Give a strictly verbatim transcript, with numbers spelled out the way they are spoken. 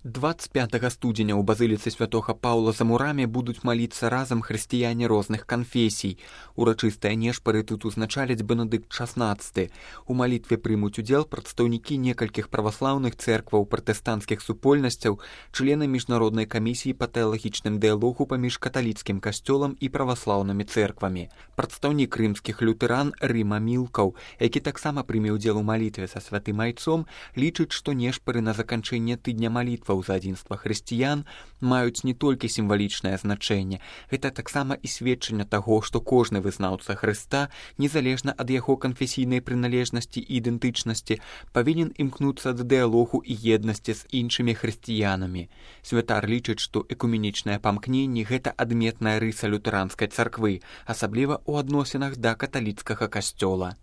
двадцать пятага студзеня ў базыліцы святога Паўла за мурамі будуць маліцца разам хрысціяне розных канфесій. Урачыстыя нешпары тут узначаліць Бенедыкт шаснаццаты. У малітве прымуць удзел прадстаўнікі некалькіх праваслаўных цэркваў, пратэстанцкіх супольнасцяў, члены міжнароднай камісіі па тэалагічным дыялогу паміж каталіцкім касцёлам і праваслаўнымі цэрквамі. Прадстаўнік рымскіх лютэран Рыма Мілкаў, які таксама прыме ўдзел у малітве са святым айцом, лічыць, што нешпары на заканчэнне тыдня малітваў за адзінства хрысціян маюць не толькі сімвалічнае значэнне, гэта таксама і сведчанне таго, што кожны вызнаўца Хрыста, незалежна ад яго канфесійнай прыналежнасці і ідэнтычнасці, павінен імкнуцца да дыялогу і еднасці з іншымі хрысціянамі. Святар лічыць, што экуменічнае памкненне – гэта адметная рыса лютэранскай царквы, асабліва ў адносінах да каталіцкага касцёла.